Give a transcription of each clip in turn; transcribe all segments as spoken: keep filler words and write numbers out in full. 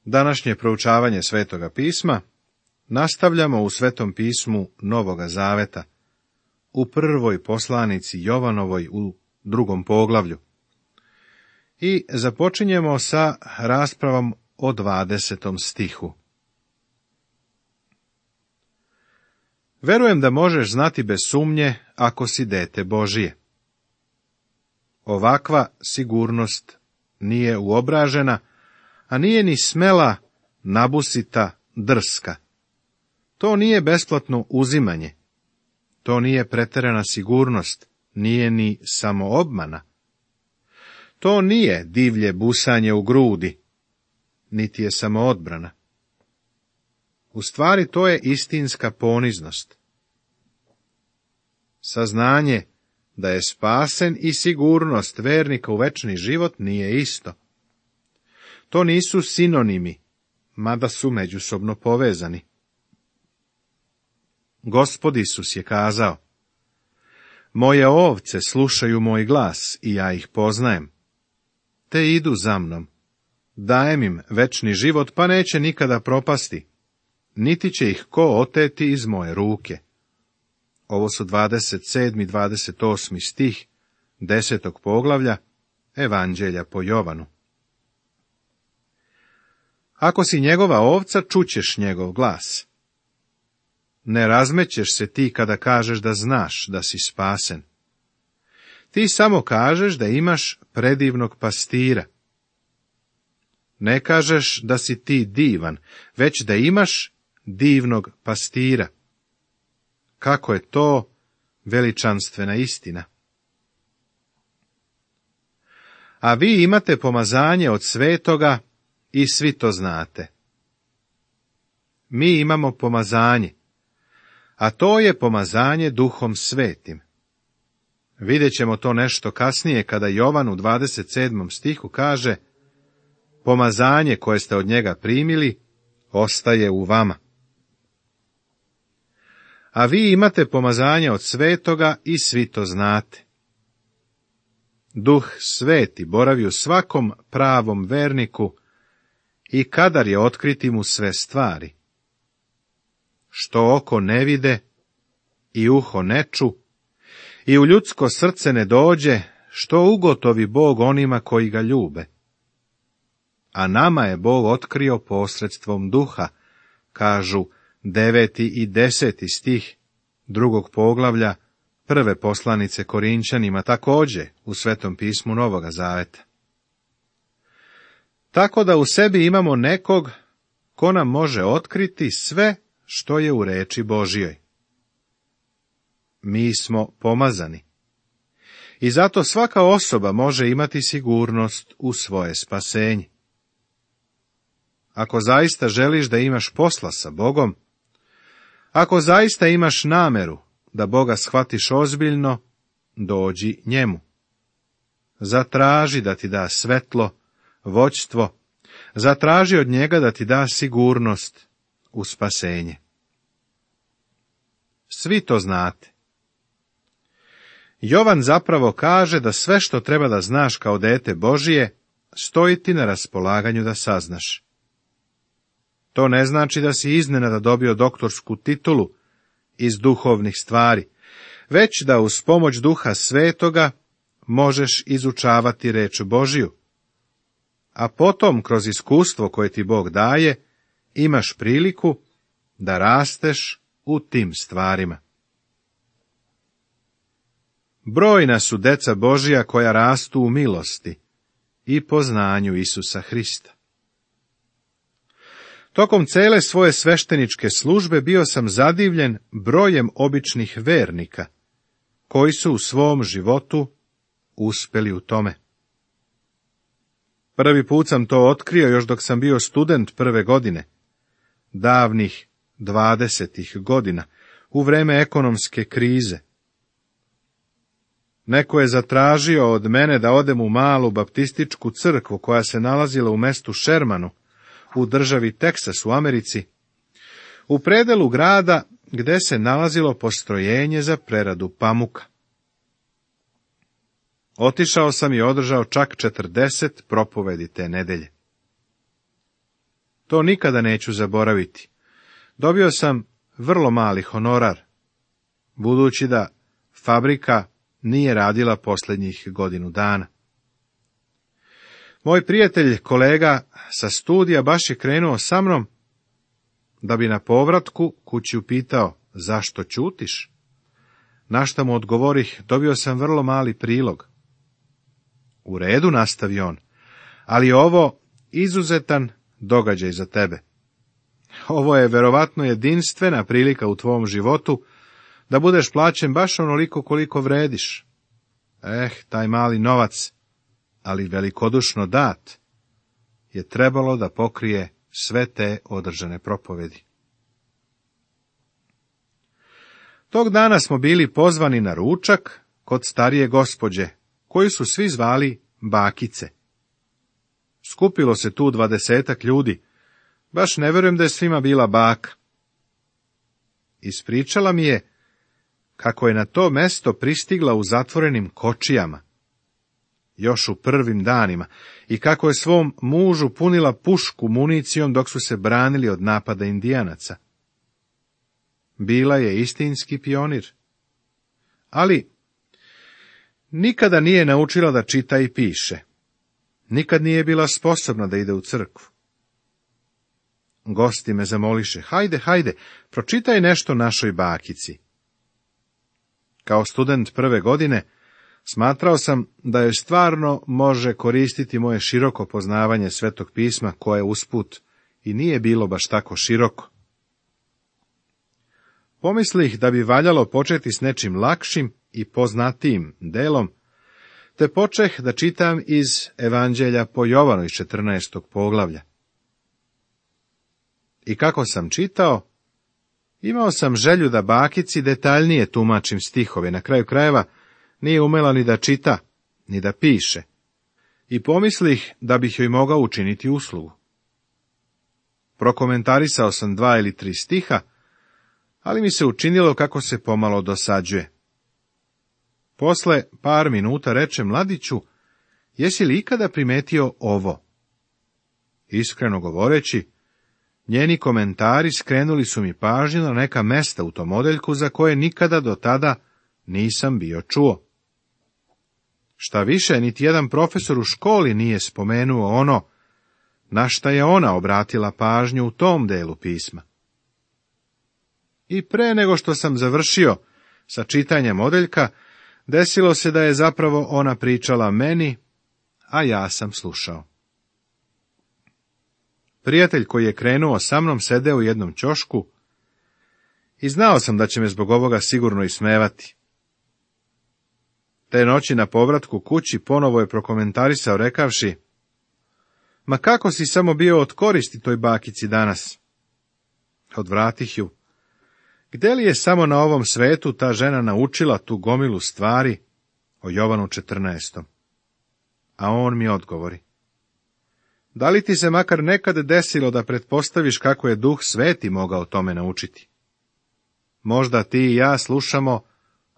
Današnje proučavanje Svetoga pisma nastavljamo u Svetom pismu Novoga Zaveta, u prvoj poslanici Jovanovoj u drugom poglavlju. I započinjemo sa raspravom o dvadesetom stihu. Verujem da možeš znati bez sumnje ako si dete Božije. Ovakva sigurnost nije uobražena, a nije ni smela, nabusita, drska. To nije besplatno uzimanje. To nije preterana sigurnost, nije ni samoobmana. To nije divlje busanje u grudi, niti je samoodbrana. U stvari to je istinska poniznost. Saznanje da je spasen i sigurnost vernika u večni život nije isto. To nisu sinonimi, mada su međusobno povezani. Gospod Isus je kazao: moje ovce slušaju moj glas i ja ih poznajem, te idu za mnom. Dajem im večni život, pa neće nikada propasti, niti će ih ko oteti iz moje ruke. Ovo su dvadeset sedmi i dvadeset osmi stih desetog poglavlja Evanđelja po Jovanu. Ako si njegova ovca, čućeš njegov glas. Ne razmećeš se ti kada kažeš da znaš da si spasen. Ti samo kažeš da imaš predivnog pastira. Ne kažeš da si ti divan, već da imaš divnog pastira. Kako je to veličanstvena istina. A vi imate pomazanje od svetoga i svi to znate. Mi imamo pomazanje, a to je pomazanje Duhom Svetim. Vidjet ćemo to nešto kasnije kada Jovan u dvadeset sedmom stihu kaže: pomazanje koje ste od njega primili ostaje u vama. A vi imate pomazanje od svetoga i svi to znate. Duh Sveti boravi u svakom pravom verniku i kadar je otkriti mu sve stvari. Što oko ne vide i uho ne ču i u ljudsko srce ne dođe, što ugotovi Bog onima koji ga ljube. A nama je Bog otkrio posredstvom duha, kažu deveti i deseti stih drugog poglavlja prve poslanice Korinčanima, također u Svetom pismu Novoga Zaveta. Tako da u sebi imamo nekog ko nam može otkriti sve što je u reči Božjoj. Mi smo pomazani. I zato svaka osoba može imati sigurnost u svoje spasenje. Ako zaista želiš da imaš posla sa Bogom, ako zaista imaš nameru da Boga shvatiš ozbiljno, dođi njemu. Zatraži da ti da svetlo, vođstvo, zatraži od njega da ti da sigurnost u spasenje. Svi to znate. Jovan zapravo kaže da sve što treba da znaš kao dete Božije, stoji ti na raspolaganju da saznaš. To ne znači da si iznenada dobio doktorsku titulu iz duhovnih stvari, već da uz pomoć Duha Svetoga možeš izučavati reč Božju, a potom kroz iskustvo koje ti Bog daje, imaš priliku da rasteš u tim stvarima. Brojna su deca Božja koja rastu u milosti i poznanju Isusa Hrista. Tokom cele svoje svešteničke službe bio sam zadivljen brojem običnih vernika, koji su u svom životu uspeli u tome. Prvi put sam to otkrio još dok sam bio student prve godine, davnih dvadesetih godina, u vreme ekonomske krize. Neko je zatražio od mene da odem u malu baptističku crkvu koja se nalazila u mestu Shermanu, u državi Teksas u Americi, u predelu grada gde se nalazilo postrojenje za preradu pamuka. Otišao sam i održao čak četrdeset propovedi te nedelje. To nikada neću zaboraviti. Dobio sam vrlo mali honorar, budući da fabrika nije radila posljednjih godinu dana. Moj prijatelj, kolega sa studija, baš je krenuo sa mnom, da bi na povratku kući upitao, zašto ćutiš? Na šta mu odgovorih, dobio sam vrlo mali prilog. U redu, nastavio on, ali ovo izuzetan događaj za tebe. Ovo je verovatno jedinstvena prilika u tvom životu da budeš plaćen baš onoliko koliko vrediš. Eh, taj mali novac, ali velikodušno dat, je trebalo da pokrije sve te održane propovedi. Tog dana smo bili pozvani na ručak kod starije gospođe, koju su svi zvali bakice. Skupilo se tu dvadesetak ljudi, baš ne vjerujem da je svima bila baka. Ispričala mi je kako je na to mesto pristigla u zatvorenim kočijama, još u prvim danima, i kako je svom mužu punila pušku municijom dok su se branili od napada Indijanaca. Bila je istinski pionir, ali nikada nije naučila da čita i piše. Nikad nije bila sposobna da ide u crkvu. Gosti me zamoliše, hajde, hajde, pročitaj nešto našoj bakici. Kao student prve godine, smatrao sam da joj stvarno može koristiti moje široko poznavanje Svetog pisma, koje usput i nije bilo baš tako široko. Pomislih da bi valjalo početi s nečim lakšim i poznatijim delom, te počeh da čitam iz Evanđelja po Jovanu iz četrnaestog poglavlja. I kako sam čitao, imao sam želju da bakici detaljnije tumačim stihove, na kraju krajeva nije umela ni da čita, ni da piše, i pomislih da bih joj mogao učiniti uslugu. Prokomentarisao sam dva ili tri stiha, ali mi se učinilo kako se pomalo dosađuje. Posle par minuta reče, mladiću, jesi li ikada primetio ovo? Iskreno govoreći, njeni komentari skrenuli su mi pažnju na neka mesta u tom odeljku za koje nikada do tada nisam bio čuo. Šta više, niti jedan profesor u školi nije spomenuo ono na šta je ona obratila pažnju u tom delu pisma. I pre nego što sam završio sa čitanjem odeljka, desilo se da je zapravo ona pričala meni, a ja sam slušao. Prijatelj koji je krenuo sa mnom sedeo u jednom ćošku i znao sam da će me zbog ovoga sigurno ismevati. Te noći na povratku kući ponovo je prokomentarisao rekavši, ma kako si samo bio od koristi toj bakici danas? Odvratih ju. Gde li je samo na ovom svetu ta žena naučila tu gomilu stvari o Jovanu četrnaestom? A on mi odgovori, da li ti se makar nekad desilo da pretpostaviš kako je Duh Sveti mogao tome naučiti? Možda ti i ja slušamo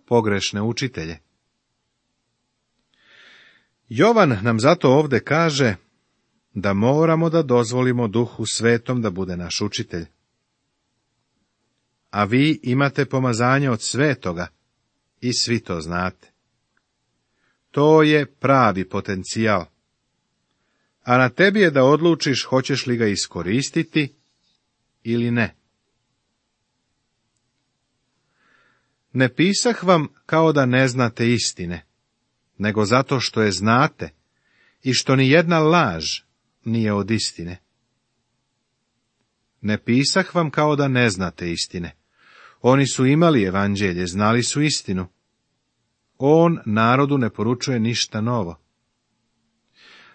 pogrešne učitelje. Jovan nam zato ovde kaže da moramo da dozvolimo Duhu Svetom da bude naš učitelj. A vi imate pomazanje od Svetoga i svi to znate. To je pravi potencijal. A na tebi je da odlučiš hoćeš li ga iskoristiti ili ne. Ne pisah vam kao da ne znate istine, nego zato što je znate i što ni jedna laž nije od istine. Ne pisah vam kao da ne znate istine. Oni su imali evanđelje, znali su istinu. On narodu ne poručuje ništa novo.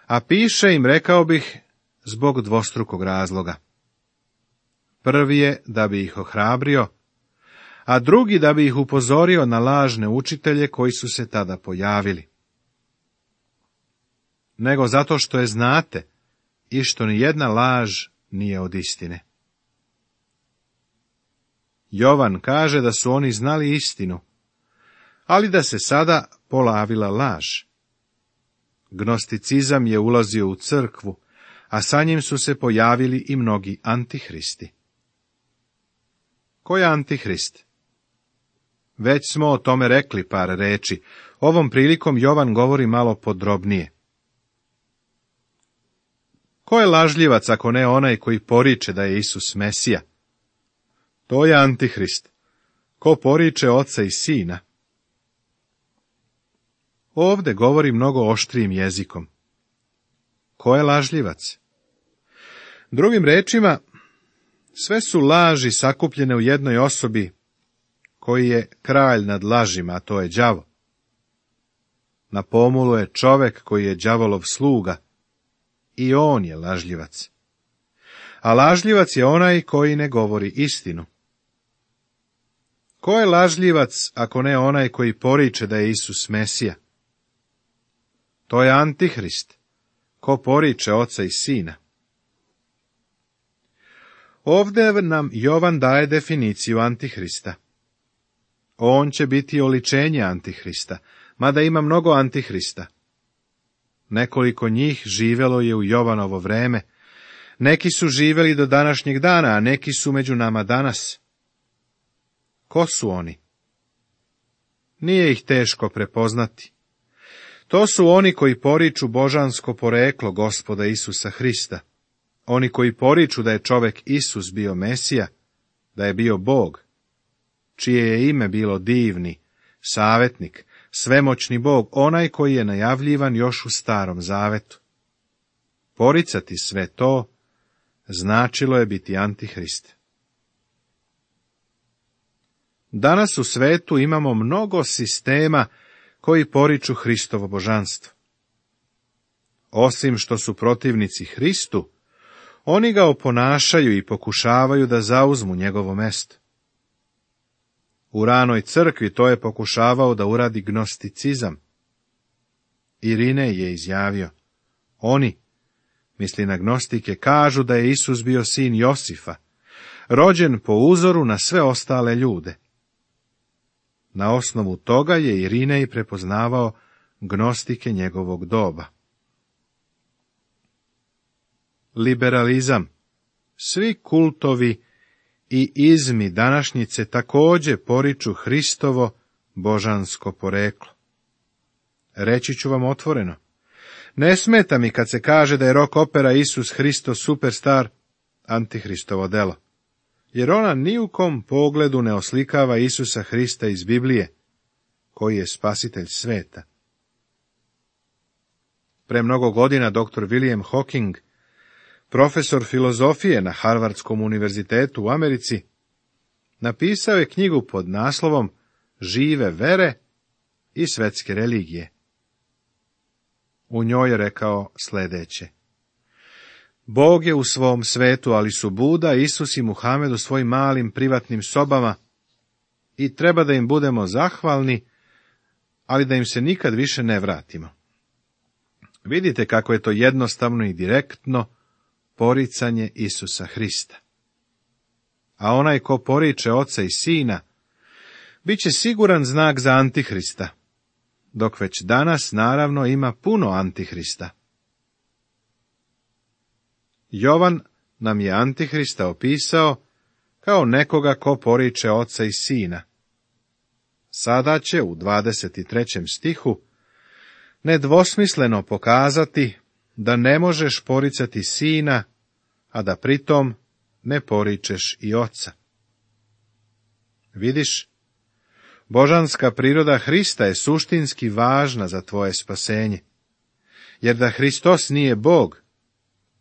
A piše im, rekao bih, zbog dvostrukog razloga. Prvi je da bi ih ohrabrio, a drugi da bi ih upozorio na lažne učitelje koji su se tada pojavili. Nego zato što je znate i što ni jedna laž nije od istine. Jovan kaže da su oni znali istinu, ali da se sada polavila laž. Gnosticizam je ulazio u crkvu, a sa njim su se pojavili i mnogi antihristi. Ko je antihrist? Već smo o tome rekli par reči. Ovom prilikom Jovan govori malo podrobnije. Ko je lažljivac ako ne onaj koji poriče da je Isus Mesija? To je antihrist. Ko poriče oca i sina? Ovde govori mnogo oštrijim jezikom. Ko je lažljivac? Drugim rečima, sve su laži sakupljene u jednoj osobi koji je kralj nad lažima, a to je đavo. Na pomolu je čovek koji je đavolov sluga, i on je lažljivac. A lažljivac je onaj koji ne govori istinu. Ko je lažljivac ako ne onaj koji poriče da je Isus Mesija? To je antihrist, ko poriče oca i sina. Ovde nam Jovan daje definiciju antihrista. On će biti oličenje antihrista, mada ima mnogo antihrista. Nekoliko njih živelo je u Jovanovo vreme, neki su živeli do današnjeg dana, a neki su među nama danas. Ko su oni? Nije ih teško prepoznati. To su oni koji poriču božansko poreklo Gospoda Isusa Hrista. Oni koji poriču da je čovek Isus bio Mesija, da je bio Bog, čije je ime bilo divni, savjetnik, svemoćni Bog, onaj koji je najavljivan još u Starom Zavetu. Poricati sve to značilo je biti antihrist. Danas u svetu imamo mnogo sistema koji poriču Hristovo božanstvo. Osim što su protivnici Hristu, oni ga oponašaju i pokušavaju da zauzmu njegovo mesto. U ranoj crkvi to je pokušavao da uradi gnosticizam. Irinej je izjavio, oni, misli na gnostike, kažu da je Isus bio sin Josifa, rođen po uzoru na sve ostale ljude. Na osnovu toga je Irinej prepoznavao gnostike njegovog doba. Liberalizam. Svi kultovi i izmi današnjice također poriču Hristovo božansko poreklo. Reći ću vam otvoreno, ne smeta mi kad se kaže da je rock opera Isus Hristo superstar antihristovo delo, jer ona ni u kom pogledu ne oslikava Isusa Hrista iz Biblije, koji je spasitelj sveta. Pre mnogo godina doktor William Hawking, profesor filozofije na Harvardskom univerzitetu u Americi, napisao je knjigu pod naslovom Žive vere i svetske religije. U njoj je rekao sljedeće. Bog je u svom svetu, ali su Buda, Isus i Muhamed u svojim malim privatnim sobama i treba da im budemo zahvalni, ali da im se nikad više ne vratimo. Vidite kako je to jednostavno i direktno poricanje Isusa Hrista. A onaj ko poriče oca i sina, bit će siguran znak za antihrista, dok već danas naravno ima puno antihrista. Jovan nam je antihrista opisao kao nekoga ko poriče oca i sina. Sada će u dvadeset trećem stihu nedvosmisleno pokazati da ne možeš poricati sina, a da pritom ne poričeš i oca. Vidiš, božanska priroda Hrista je suštinski važna za tvoje spasenje, jer da Hristos nije Bog,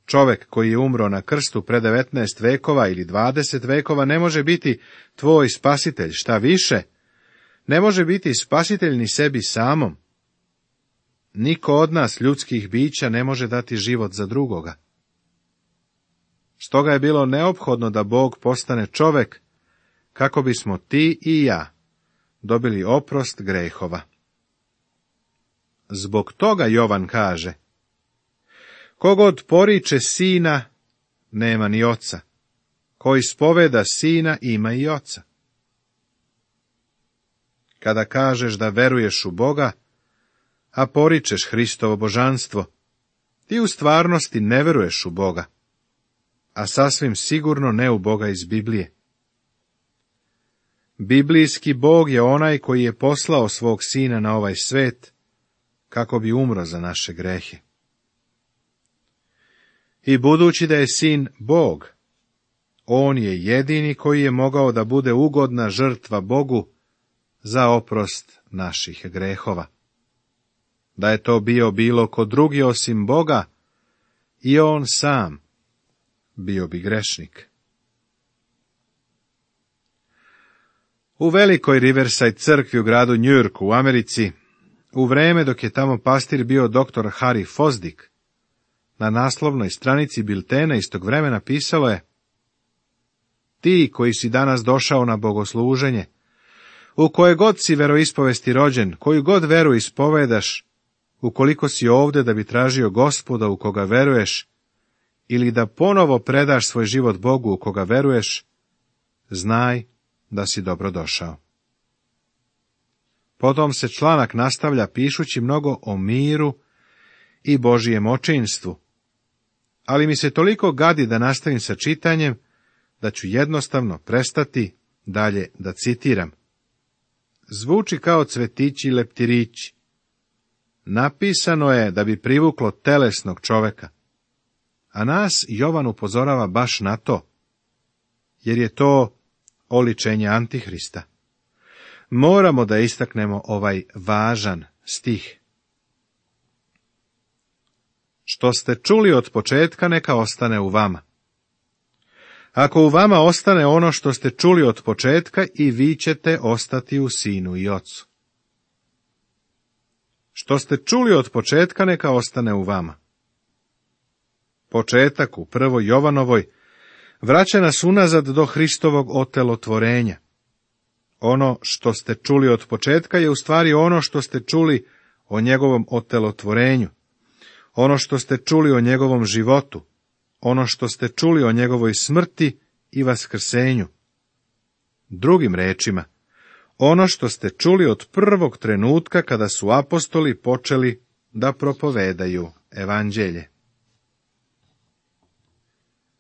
čovek koji je umro na krstu pre devetnaest vekova ili dvadeset vekova ne može biti tvoj spasitelj, šta više, ne može biti spasitelj ni sebi samom. Niko od nas, ljudskih bića, ne može dati život za drugoga. Stoga je bilo neophodno da Bog postane čovek, kako bismo ti i ja dobili oprost grehova. Zbog toga Jovan kaže, kogod poriče sina, nema ni oca, ko ispoveda sina, ima i oca. Kada kažeš da veruješ u Boga, a poričeš Hristovo božanstvo, ti u stvarnosti ne veruješ u Boga, a sasvim sigurno ne u Boga iz Biblije. Biblijski Bog je onaj koji je poslao svog sina na ovaj svet, kako bi umro za naše grehe. I budući da je sin Bog, on je jedini koji je mogao da bude ugodna žrtva Bogu za oprost naših grehova. Da je to bio bilo ko drugi osim Boga, i on sam bio bi grešnik. U velikoj Riverside crkvi u gradu Njujorku u Americi, u vreme dok je tamo pastir bio doktor Harry Fosdick, na naslovnoj stranici biltena istog vremena pisalo je: ti koji si danas došao na bogosluženje, u koje god si veroispovesti rođen, koju god veru ispovedaš, ukoliko si ovde da bi tražio Gospoda u koga veruješ, ili da ponovo predaš svoj život Bogu u koga veruješ, znaj da si dobro došao. Potom se članak nastavlja pišući mnogo o miru i Božijem očinstvu, ali mi se toliko gadi da nastavim sa čitanjem, da ću jednostavno prestati dalje da citiram. Zvuči kao cvetići i leptirići. Napisano je da bi privuklo telesnog čoveka, a nas Jovan upozorava baš na to, jer je to oličenje Antihrista. Moramo da istaknemo ovaj važan stih. Što ste čuli od početka, neka ostane u vama. Ako u vama ostane ono što ste čuli od početka, i vi ćete ostati u Sinu i Ocu. Što ste čuli od početka, neka ostane u vama. Početak u prvoj Jovanovoj vraća nas unazad do Hristovog otelotvorenja. Ono što ste čuli od početka je u stvari ono što ste čuli o njegovom otelotvorenju, ono što ste čuli o njegovom životu, ono što ste čuli o njegovoj smrti i vaskrsenju. Drugim rečima, ono što ste čuli od prvog trenutka kada su apostoli počeli da propovedaju evanđelje.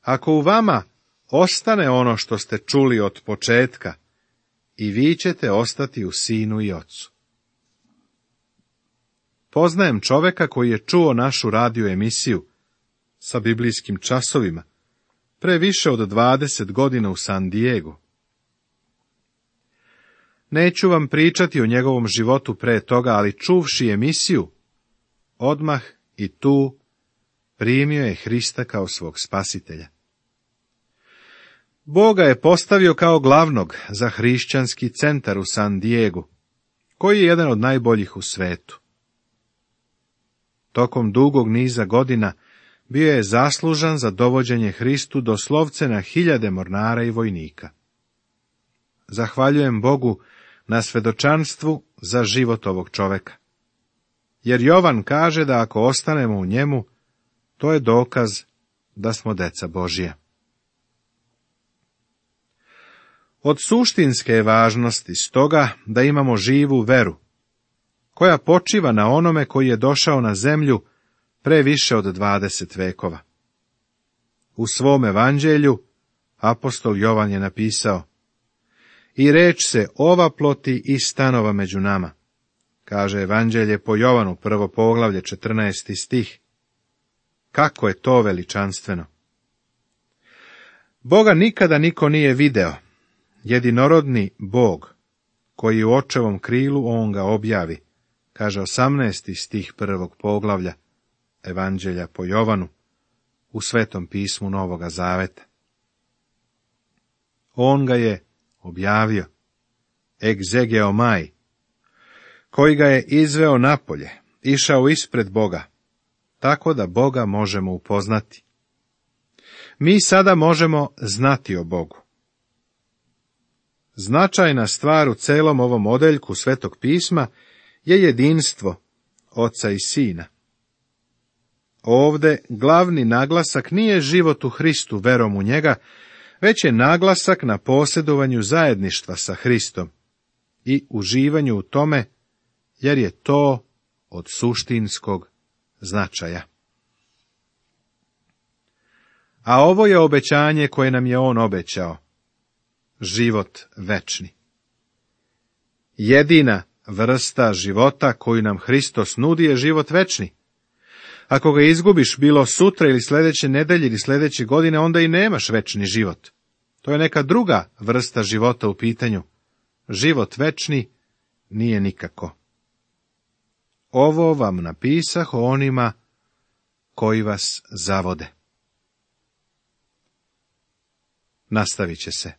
Ako u vama ostane ono što ste čuli od početka, i vi ćete ostati u Sinu i Ocu. Poznajem čoveka koji je čuo našu radio emisiju sa biblijskim časovima pre više od dvadeset godina u San Diegu. Neću vam pričati o njegovom životu pre toga, ali čuvši emisiju, odmah i tu primio je Hrista kao svog spasitelja. Boga je postavio kao glavnog za hrišćanski centar u San Diegu, koji je jedan od najboljih u svetu. Tokom dugog niza godina bio je zaslužan za dovođenje Hristu doslovce na hiljade mornara i vojnika. Zahvaljujem Bogu na svedočanstvu za život ovog čoveka, jer Jovan kaže da ako ostanemo u njemu, to je dokaz da smo deca Božija. Od suštinske je važnosti stoga da imamo živu veru, koja počiva na onome koji je došao na zemlju pre više od dvadeset vekova. U svom evanđelju apostol Jovan je napisao: i reč se ovaploti i stanova među nama. Kaže evanđelje po Jovanu, prvo poglavlje, četrnaesti stih. Kako je to veličanstveno! Boga nikada niko nije video. Jedinorodni Bog, koji u očevom krilu on ga objavi, kaže osamnaesti stih prvog poglavlja evanđelja po Jovanu u Svetom pismu Novoga Zaveta. On ga je objavio, egzegeomai, koji ga je izveo napolje, išao ispred Boga, tako da Boga možemo upoznati. Mi sada možemo znati o Bogu. Značajna stvar u celom ovom odeljku Svetog pisma je jedinstvo Oca i Sina. Ovde glavni naglasak nije život u Hristu verom u njega, već je naglasak na posjedovanju zajedništva sa Hristom i uživanju u tome, jer je to od suštinskog značaja. a ovo je obećanje koje nam je on obećao. Život večni. Jedina vrsta života koju nam Hristos nudi je život večni. Ako ga izgubiš bilo sutra ili sljedeće nedelje ili sljedeće godine, onda i nemaš večni život. To je neka druga vrsta života u pitanju. Život večni nije nikako. Ovo vam napisah o onima koji vas zavode. Nastavit će se.